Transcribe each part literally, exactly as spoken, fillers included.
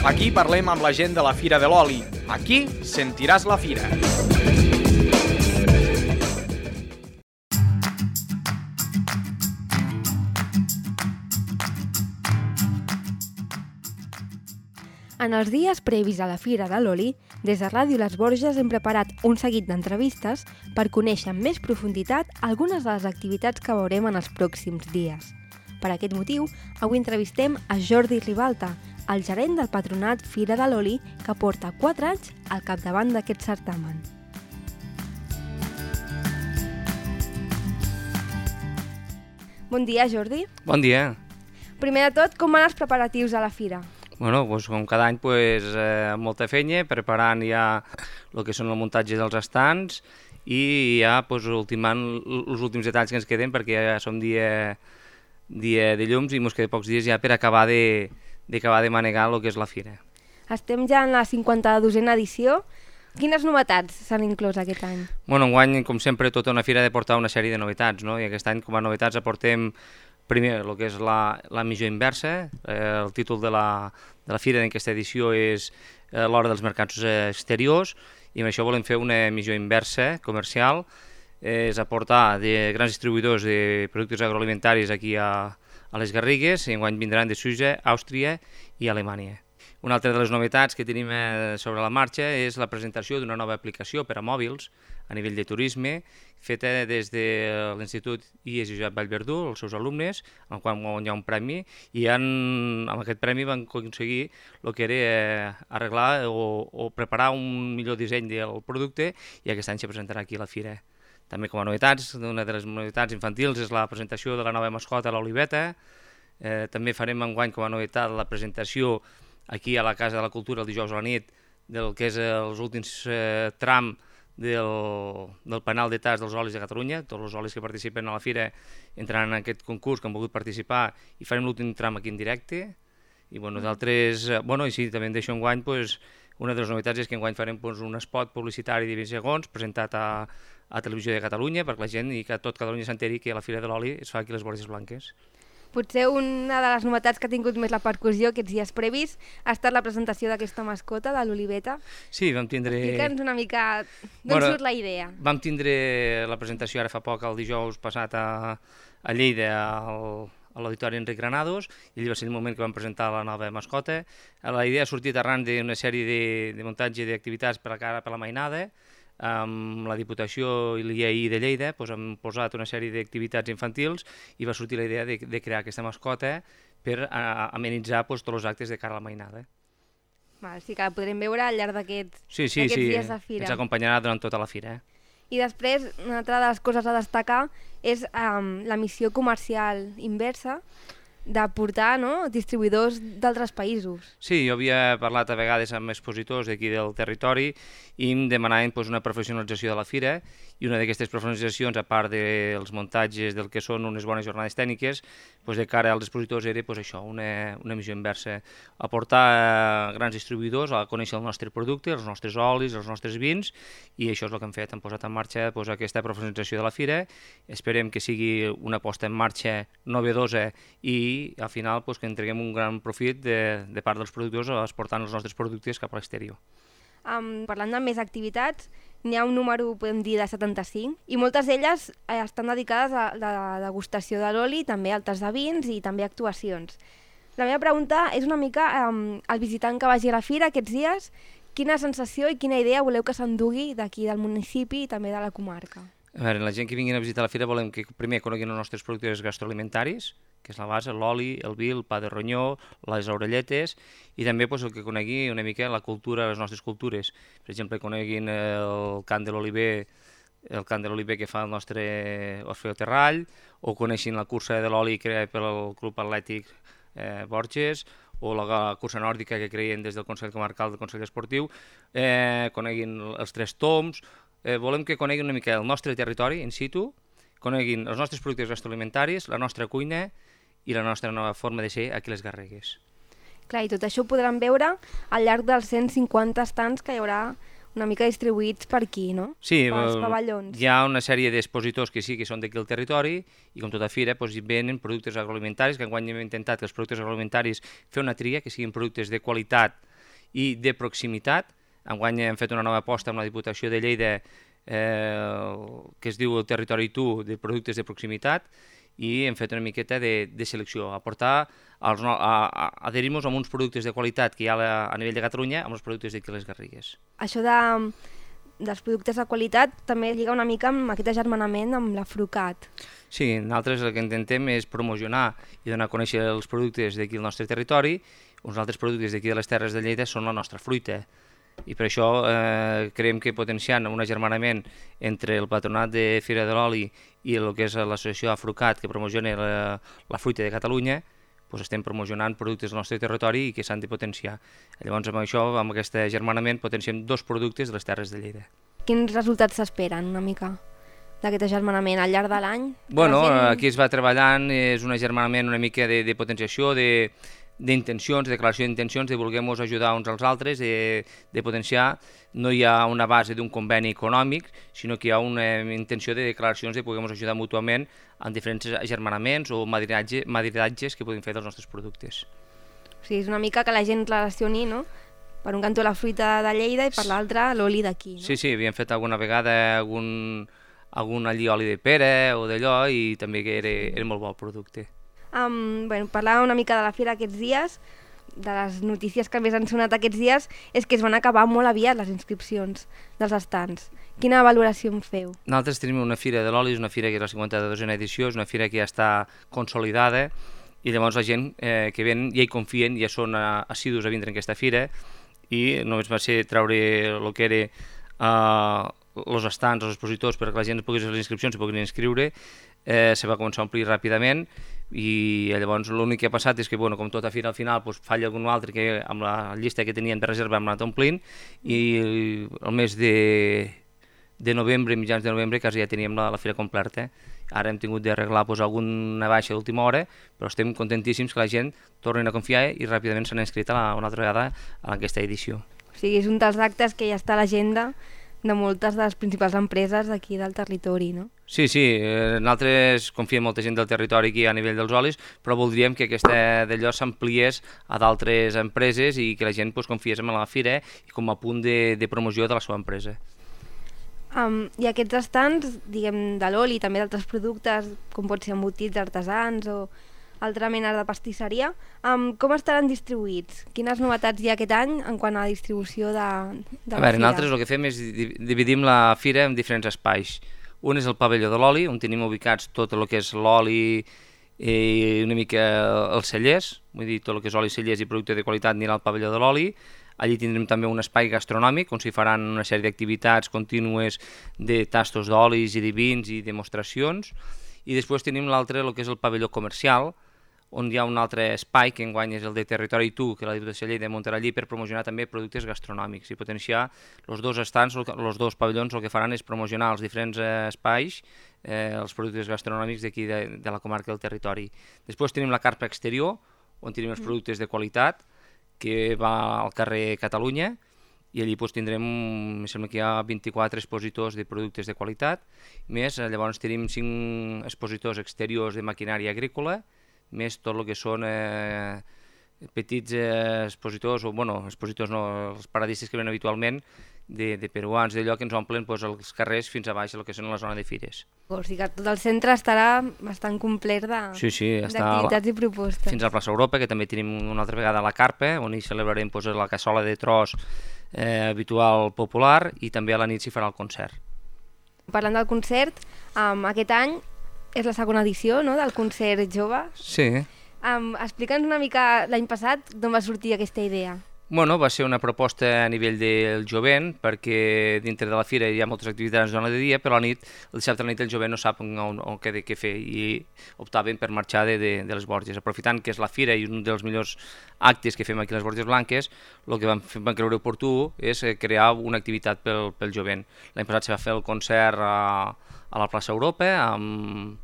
Aquí parlem amb la gent de la Fira de l'Oli. Aquí sentiràs la fira. En els dies previs a la Fira de l'Oli, des de Ràdio Les Borges hem preparat un seguit d'entrevistes per conèixer amb més profunditat algunes de les activitats que veurem en els pròxims dies. Per aquest motiu, avui entrevistem a Jordi Ribalta, el gerent del patronat Fira de l'Oli, que porta quatre anys al capdavant d'aquest certamen. Bon dia, Jordi. Bon dia. Primer de tot, com van els preparatius a la Fira? Bueno, doncs, com cada any, pues, eh, molta feina, preparant ja el que són el muntatge dels estants i ja pues, ultimant els últims detalls que ens queden, perquè ja som dia, dia de llums i ens queden pocs dies ja per acabar de, d'acabar de manegar el que és la fira. Estem ja en la cinquanta-dosena edició. Quines novetats s'han inclòs aquest any? Bueno, enguany, com sempre, tota una fira ha de portar una sèrie de novetats, no? I aquest any, com a novetats, aportem primer, el que és la, la missió inversa. Eh, el títol de la, de la fira d'aquesta edició és eh, l'hora dels mercats exteriors, i amb això volem fer una missió inversa comercial, eh, és aportar de grans distribuïdors de productes agroalimentaris aquí a, a les Garrigues, i enguany vindran de Suïssa, Àustria i Alemanya. Una altra de les novetats que tenim sobre la marxa és la presentació d'una nova aplicació per a mòbils a nivell de turisme, feta des de l'Institut I E S Josep Vallverdú, els seus alumnes, en el qual hi ha un premi, i han, amb aquest premi van aconseguir el que era arreglar o, o preparar un millor disseny del producte, i aquest any se presentarà aquí a la fira. També com a novetats, una de les novetats infantils és la presentació de la nova mascota, l'Oliveta. Eh, també farem enguany com a novetat la presentació aquí a la Casa de la Cultura el dijous a la nit del que és els últims eh, tram del, del penal de tas dels olis de Catalunya. Tots els olis que participen a la fira entraran en aquest concurs que han volgut participar, i farem l'últim tram aquí en directe. I bueno, d'altres, bueno, i sí, també en deixo enguany, pues, una de les novetats és que enguany farem pues, un spot publicitari de vint segons presentat a, a Televisió de Catalunya, perquè la gent i que tot Catalunya s'enteri que la Fira de l'Oli es fa aquí a les Borges Blanques. Potser una de les novetats que ha tingut més la percussió aquests dies previs ha estat la presentació d'aquesta mascota, de l'Oliveta. Sí, vam tindre... Explica'ns una mica d'on bueno, surt la idea. Vam tindre la presentació ara fa poc, el dijous passat a, a Lleida, al, a l'Auditori Enric Granados, i allà va ser el moment que vam presentar la nova mascota. La idea ha sortit arran d'una sèrie de, de muntatge d'activitats per a cara per la mainada. Amb la Diputació i l'I A I de Lleida doncs, hem posat una sèrie d'activitats infantils i va sortir la idea de, de crear aquesta mascota per a, amenitzar doncs, tots els actes de cara a la mainada. Val, sí que la podrem veure al llarg d'aquests sí, sí, sí, dies de fira. Ens acompanyarà durant tota la fira. Eh? I després, una altra de les coses a destacar és um, la missió comercial inversa, de portar no, distribuïdors d'altres països. Sí, jo havia parlat a vegades amb expositors d'aquí del territori i em demanaven pues, una professionalització de la fira, i una d'aquestes professionalitzacions, a part dels muntatges del que són unes bones jornades tècniques, pues, de cara als expositors era pues, això, una, una missió inversa, aportar a grans distribuïdors a conèixer el nostre producte, els nostres olis, els nostres vins, i això és el que hem fet, hem posat en marxa pues, aquesta professionalització de la fira. Esperem que sigui una posta en marxa novedosa i al final pues, que entreguem un gran profit de, de part dels productors exportant els nostres productes cap a l'exterior. Um, parlant de més activitats, n'hi ha un número, podem dir, de setanta-cinc, i moltes d'elles eh, estan dedicades a la degustació de l'oli, també altres de vins i també actuacions. La meva pregunta és una mica, um, el visitant que vagi a la fira aquests dies, quina sensació i quina idea voleu que s'endugui d'aquí del municipi i també de la comarca? A veure, la gent que vinguin a visitar la fira volem que primer coneguin els nostres productes gastroalimentaris, que és la base, l'oli, el vi, el pa de ronyó, les orelletes, i també pues, el que conegui una mica la cultura, les nostres cultures. Per exemple, coneguin el cant de l'oliver, el cant de l'oliver que fa el nostre Orfeo Terrall, o coneixin la cursa de l'oli creada pel Club Atlètic eh, Borges, o la cursa nòrdica que creien des del Consell Comarcal del Consell Esportiu, eh, coneguin els Tres Toms. Eh, volem que coneguin una mica el nostre territori in situ, coneguin els nostres productes gastroalimentaris, la nostra cuina i la nostra nova forma de ser aquí a les Garrigues. Clar, i tot això ho podran veure al llarg dels cent cinquanta estants que hi haurà una mica distribuïts per aquí, no? Sí, pels pavellons. Hi ha una sèrie d'expositors que sí que són d'aquí al territori, i com tota fira doncs, hi venen productes agroalimentaris, que enguany hem intentat que els productes agroalimentaris fer una tria, que siguin productes de qualitat i de proximitat. Enguany hem fet una nova aposta amb la Diputació de Lleida eh, que es diu el Territori Tu de productes de proximitat, i hem fet una miqueta de, de selecció, aportar, als, a, a, adherir-nos a uns productes de qualitat que hi ha a, a nivell de Catalunya amb els productes d'aquí les Garrigues. Això de, dels productes de qualitat també lliga una mica amb aquest agermanament amb la Frucat. Sí, nosaltres el que intentem és promocionar i donar a conèixer els productes d'aquí al nostre territori. Uns altres productes d'aquí de les Terres de Lleida són la nostra fruita. I per això eh, creiem que potenciant un agermanament entre el Patronat de Fira de l'Oli i el que és l'associació Afrucat, que promociona la, la fruita de Catalunya, doncs estem promocionant productes del nostre territori i que s'han de potenciar. Llavors amb això, amb aquest agermanament, potenciem dos productes de les Terres de Lleida. Quins resultats s'esperen una mica d'aquest agermanament al llarg de l'any? Bueno, gent... aquí es va treballant, és un agermanament una mica de, de potenciació, de d'intencions, de declaració d'intencions, de voler-nos ajudar uns als altres, de, de potenciar. No hi ha una base d'un conveni econòmic, sinó que hi ha una intenció de declaracions de poder-nos ajudar mútuament en diferents agermanaments o madrinatge, madrinatges que podem fer dels nostres productes. O sigui, és una mica que la gent relacioni, no?, per un cantó la fruita de Lleida i per l'altre l'oli d'aquí, no? Sí, sí, havíem fet alguna vegada algun, algun allí oli de pera o d'allò i també que era, era molt bo el producte. Um, bueno, parlar una mica de la fira aquests dies, de les notícies que més han sonat aquests dies, és que es van acabar molt aviat les inscripcions dels estants. Quina valoració en feu? Nosaltres tenim una fira de l'oli, és una fira que és la cinquanta-dosena edició, és una fira que ja està consolidada i llavors la gent eh, que ven ja hi confien, ja són assidus a vindre en aquesta fira i només va ser treure el que era els uh, estants, els expositors, perquè la gent pogués fer les inscripcions i pogués inscriure. Eh, se va començar a omplir ràpidament i llavors l'únic que ha passat és que, bueno, com tota fira al final doncs, falla algun altre que amb la llista que tenien de reserva hem anat omplint i el mes de, de novembre, mitjans de novembre, quasi ja teníem la, la fira completa. Ara hem tingut d'arreglar doncs, alguna baixa d'última hora, però estem contentíssims que la gent torni a confiar i ràpidament s'han inscrit a la, una altra vegada a aquesta edició. O sigui, és un dels actes que ja està a l'agenda de moltes de les principals empreses d'aquí del territori, no? Sí, sí, eh, nosaltres confiem molta gent del territori aquí a nivell dels olis, però voldríem que aquesta d'allò s'ampliés a d'altres empreses i que la gent pues, confiés en la fira i com a punt de, de promoció de la seva empresa. Um, I aquests estants, diguem, de l'oli i també d'altres productes, com pot ser embotits artesans o altra mena de pastisseria, um, com estaran distribuïts? Quines novetats hi ha aquest any en quant a la distribució de, de la a veure, fira? Nosaltres el que fem és dividim la fira en diferents espais. Un és el pavelló de l'oli, on tenim ubicats tot el que és l'oli i una mica els cellers, vull dir, tot el que és oli, cellers i producte de qualitat anirà al pavelló de l'oli. Allí tindrem també un espai gastronòmic on s'hi faran una sèrie d'activitats contínues de tastos d'olis i de vins i demostracions. I després tenim l'altre, el que és el pavelló comercial, on hi ha un altre espai que enguany és el de Territori Tu, que la Diputació de Lleida muntarà allí per promocionar també productes gastronòmics i potenciar els dos estants, els dos pavellons el que faran és promocionar els diferents espais, eh, els productes gastronòmics d'aquí de, de la comarca del territori. Després tenim la carpa exterior, on tenim els productes de qualitat, que va al carrer Catalunya, i allí doncs, tindrem, em sembla que hi ha vint-i-quatre expositors de productes de qualitat, més llavors tenim cinc expositors exteriors de maquinària agrícola, més tot el que són eh, petits eh, expositors, o bueno, expositors no, els paradistes que ven habitualment, de, de peruans, d'allò que ens omplen pues, els carrers fins a baix, el que són la zona de fires. O sigui que tot el centre estarà bastant complet d'activitats sí, sí, i propostes. Fins a la plaça Europa, que també tenim una altra vegada a la Carpa, on hi celebrarem pues, la cassola de tros eh, habitual popular, i també a la nit s'hi farà el concert. Parlant del concert, um, aquest any és la segona edició, no?, del concert jove. Sí. Um, Explica'ns una mica l'any passat d'on va sortir aquesta idea. Bueno, va ser una proposta a nivell del jovent, perquè dintre de la fira hi ha moltes activitats durant el dia, però a la nit, el dissabte a la nit el jovent no sap on, on què, què fer i optaven per marxar de, de, de les Borges. Aprofitant que és la fira i un dels millors actes que fem aquí a les Borges Blanques, el que vam, vam creure oportú és crear una activitat pel, pel jovent. L'any passat se va fer el concert a, a la plaça Europa amb,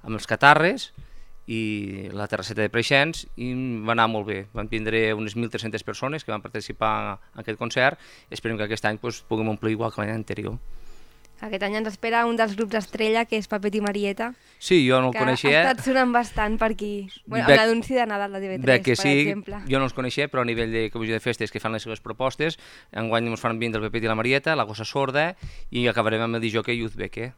amb els catarres i la terrasseta de Preixens, i va anar molt bé. Van tindre unes mil tres-centes persones que van participar en aquest concert. Esperem que aquest any pues, puguem omplir igual que l'any anterior. Aquest any ens espera un dels grups estrella, que és Pepet i Marieta. Sí, jo no el que coneixia. Que ha estat sonant bastant per aquí. Bueno, Bec, l'anunci de Nadal de T V tres, Bec que per sí, exemple. Jo no els coneixia, però a nivell de comissió de festes que fan les seves propostes, enguany ens fan vindre el Pepet i la Marieta, la Gossa Sorda, i acabarem amb el disjockey Uzbek, eh?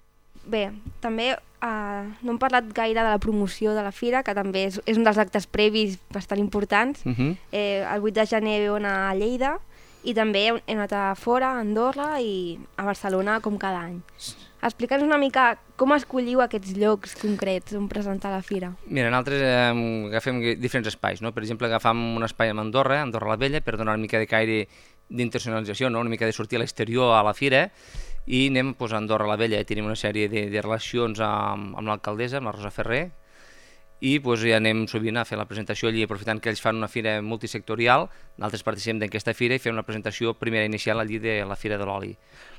Bé, també eh, no hem parlat gaire de la promoció de la fira, que també és, és un dels actes previs bastant importants. Uh -huh. eh, el vuit de gener veu anar a Lleida, i també hem anat a fora, a Andorra i a Barcelona, com cada any. Explica'ns una mica com escolliu aquests llocs concrets on presentar la fira. Mira, nosaltres eh, agafem diferents espais, no? Per exemple, agafam un espai a Andorra, Andorra la Vella, per donar una mica de caire d'internacionalització, no? Una mica de sortir a l'exterior a la fira, i anem pues, a Andorra la Vella, tenim una sèrie de, de relacions amb, amb l'alcaldessa, amb la Rosa Ferrer, i pues, ja anem sovint a fer la presentació allí, aprofitant que ells fan una fira multisectorial, nosaltres participem d'aquesta fira i fem una presentació primera inicial allí de la Fira de l'Oli.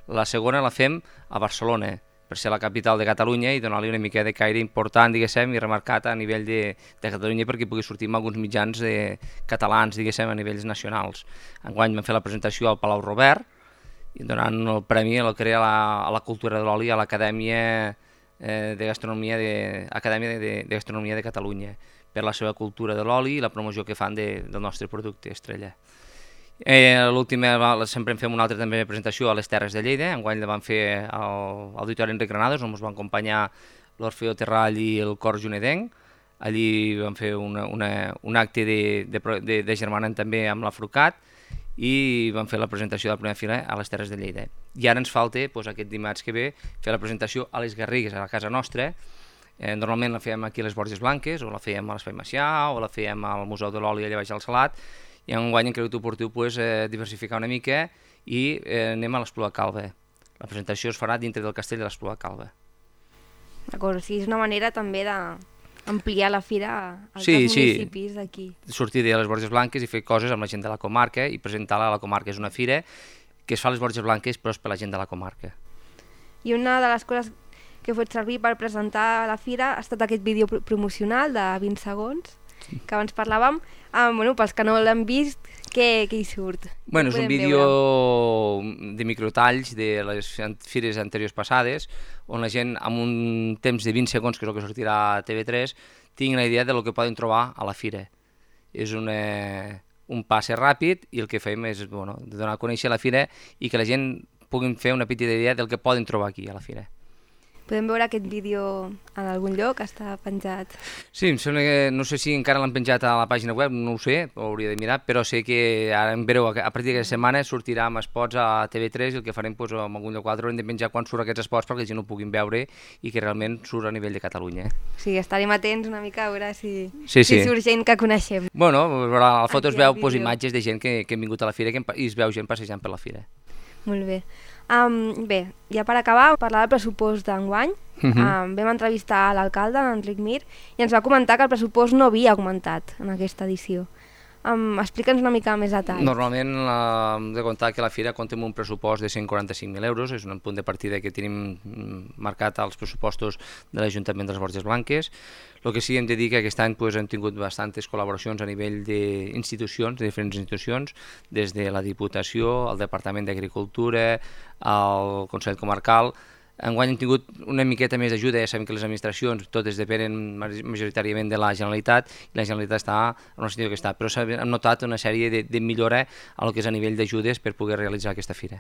La segona la fem a Barcelona, per ser la capital de Catalunya i donar-li una mica de caire important, diguéssim, i remarcat a nivell de, de Catalunya perquè pugui sortir amb alguns mitjans de, catalans, diguéssim, a nivells nacionals. Enguany vam fer la presentació al Palau Robert, i donant el premi a la, a la cultura de l'oli a l'Acadèmia eh, de Gastronomia de, Acadèmia de, de, de Gastronomia de Catalunya, per la seva cultura de l'oli i la promoció que fan de, del nostre producte estrella. Eh, L'última, sempre en fem una altra també presentació a les Terres de Lleida, enguany la vam fer al Auditori Enric Granados, on ens van acompanyar l'Orfeo Terrall i el Cor Junedenc. Allí vam fer una, una, un acte de, de, de, de germanament també amb l'Afrucat, i vam fer la presentació de la primera fila a les Terres de Lleida. I ara ens falta, doncs, aquest dimarts que ve, fer la presentació a les Garrigues, a la casa nostra. Eh, normalment la fèiem aquí a les Borges Blanques, o la fèiem a l'Espai Macià, o la fèiem al Museu de l'Oli allà baix al Salat, i enguany hem cregut oportú pues, eh, diversificar una mica i eh, anem a l'Espluga Calba. La presentació es farà dintre del castell de l'Espluga Calba. D'acord, o sigui, és una manera també de ampliar la fira als sí, municipis sí. d'aquí. Sortir de les Borges Blanques i fer coses amb la gent de la comarca i presentar-la a la comarca. És una fira que es fa a les Borges Blanques però és per la gent de la comarca. I una de les coses que he fet servir per presentar la fira ha estat aquest vídeo promocional de vint segons, que abans parlàvem. Ah, bueno, pels que no l'han vist, què, què hi surt? Bueno, és un vídeo veure? de microtalls de les fires anteriors passades, on la gent, amb un temps de vint segons, que és el que sortirà a T V tres, tingui la idea del que poden trobar a la fira. És una, un passe ràpid i el que fem és bueno, donar a conèixer la fira i que la gent puguin fer una petita idea del que poden trobar aquí a la fira. Podem veure aquest vídeo en algun lloc? Està penjat? Sí, em sembla que no sé si encara l'han penjat a la pàgina web, no ho sé, ho hauria de mirar, però sé que ara en vereu, a partir d'aquesta setmana sortirà amb spots a T V tres i el que farem doncs, en algun lloc o altre haurem de penjar quan surt aquests spots perquè la gent ho puguin veure i que realment surt a nivell de Catalunya. Sí, estarem atents una mica a veure si, sí, sí. si surt gent que coneixem. Bueno, a la foto es veu pues, imatges de gent que, que han vingut a la fira que, i es veu gent passejant per la fira. Molt bé. Um, bé, ja per acabar, parlar del pressupost d'enguany. Uh-huh. um, vam entrevistar l'alcalde, Enric Mir, i ens va comentar que el pressupost no havia augmentat en aquesta edició. Um, Explica'ns una mica més detall. Normalment uh, hem de comptar que la fira compta amb un pressupost de cent quaranta-cinc mil euros, és un punt de partida que tenim marcat als pressupostos de l'Ajuntament de les Borges Blanques. El que sí hem de dir que aquest any pues, hem tingut bastantes col·laboracions a nivell d'institucions, de diferents institucions, des de la Diputació, el Departament d'Agricultura, el Consell Comarcal. Enguany hem tingut una miqueta més d'ajuda, ja sabem que les administracions totes depenen majoritàriament de la Generalitat i la Generalitat està en una situació que està, però hem notat una sèrie de, de millora a lo que és a nivell d'ajudes per poder realitzar aquesta fira.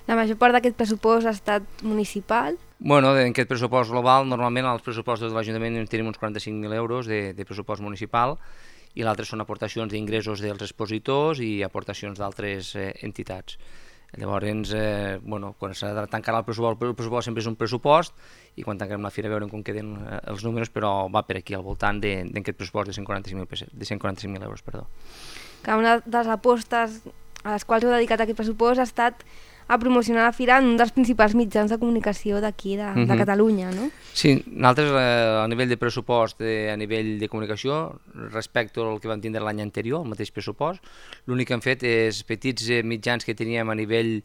La major part d'aquest pressupost ha estat municipal? Bueno, en aquest pressupost global, normalment als pressupostos de l'Ajuntament tenim uns quaranta-cinc mil euros de, de pressupost municipal i l'altre són aportacions d'ingressos dels expositors i aportacions d'altres eh, entitats. Llavors, eh, bueno, quan s'ha de tancar el pressupost, el pressupost sempre és un pressupost i quan tanquem la fira veurem com queden eh, els números, però va per aquí, al voltant d'aquest pressupost de cent quaranta-cinc mil euros. Perdó. Que una de les apostes a les quals heu dedicat aquest pressupost ha estat a promocionar la fira en un dels principals mitjans de comunicació d'aquí, de, uh-huh. de Catalunya, no? Sí, nosaltres eh, a nivell de pressupost, eh, a nivell de comunicació, respecte al que vam tindre l'any anterior, el mateix pressupost, l'únic que hem fet és petits eh, mitjans que teníem a nivell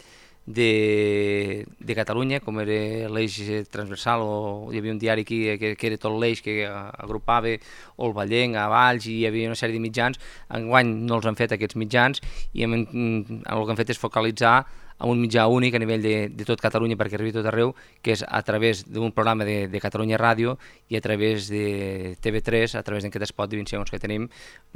de, de Catalunya, com era l'eix transversal, o hi havia un diari aquí que, que era tot l'eix que agrupava o el Vallenc, a Valls, i hi havia una sèrie de mitjans. Enguany no els han fet aquests mitjans i hem, el que hem fet és focalitzar amb un mitjà únic a nivell de, de tot Catalunya perquè arribi a tot arreu, que és a través d'un programa de, de Catalunya Ràdio i a través de T V tres, a través d'aquest espot de vint segons que tenim,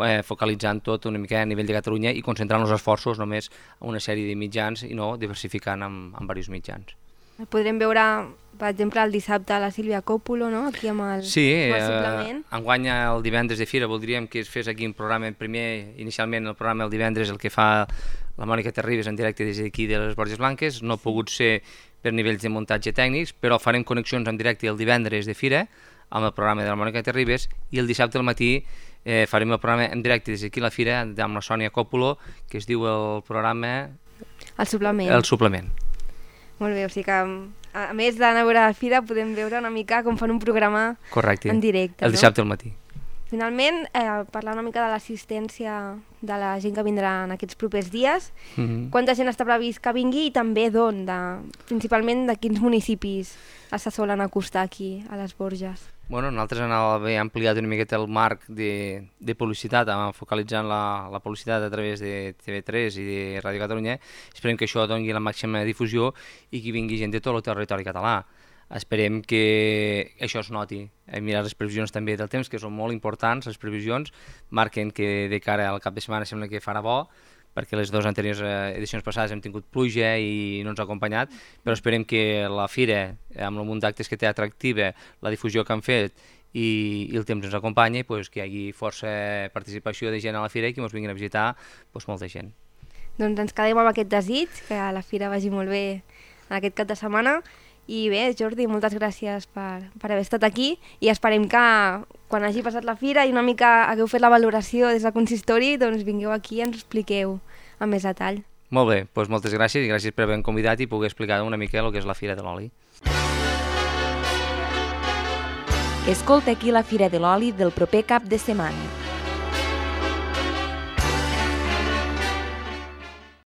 eh, focalitzant tot una mica a nivell de Catalunya i concentrant els esforços només en una sèrie de mitjans i no diversificant amb, amb diversos mitjans. Podrem veure, per exemple, el dissabte a la Sílvia Còpolo, no? Aquí amb el, sí, amb el suplement. Sí, eh, enguany el divendres de Fira voldríem que es fes aquí un programa, primer, inicialment el programa el divendres, el que fa la Mònica Terribas en directe des d'aquí de les Borges Blanques, no ha pogut ser per nivells de muntatge tècnics, però farem connexions en directe el divendres de Fira amb el programa de la Mònica Terribas i el dissabte al matí eh, farem el programa en directe des d'aquí a la Fira amb la Sònia Còpolo, que es diu el programa... El suplement. El suplement. Molt bé, o sigui que a més d'anar a veure la Fira podem veure una mica com fan un programa Correcte. En directe. El dissabte al matí. Finalment, eh, parlar una mica de l'assistència de la gent que vindrà en aquests propers dies. Mm-hmm. Quanta gent està previst que vingui i també d'on? De, principalment de quins municipis se solen acostar aquí a les Borges? Bueno, nosaltres hem ampliat una miqueta el marc de, de publicitat, focalitzant la, la publicitat a través de T V tres i de Ràdio Catalunya. Esperem que això doni la màxima difusió i que vingui gent de tot el territori català. Esperem que això es noti. Hem mirat les previsions també del temps, que són molt importants. Les previsions marquen que de cara al cap de setmana sembla que farà bo, perquè les dues anteriors edicions passades hem tingut pluja i no ens ha acompanyat, però esperem que la Fira, amb el munt d'actes que té atractiva, la difusió que han fet i, i el temps ens acompanya, pues, que hi hagi força participació de gent a la Fira i que ens vinguin a visitar pues, molta gent. Doncs ens quedem amb aquest desig, que a la Fira vagi molt bé en aquest cap de setmana. I bé, Jordi, moltes gràcies per, per haver estat aquí i esperem que quan hagi passat la Fira i una mica hagueu fet la valoració des del consistori, doncs vingueu aquí i ens ho expliqueu amb més detall. Molt bé, doncs moltes gràcies i gràcies per haver-me convidat i poder explicar una mica el que és la Fira de l'Oli. Escolta aquí la Fira de l'Oli del proper cap de setmana.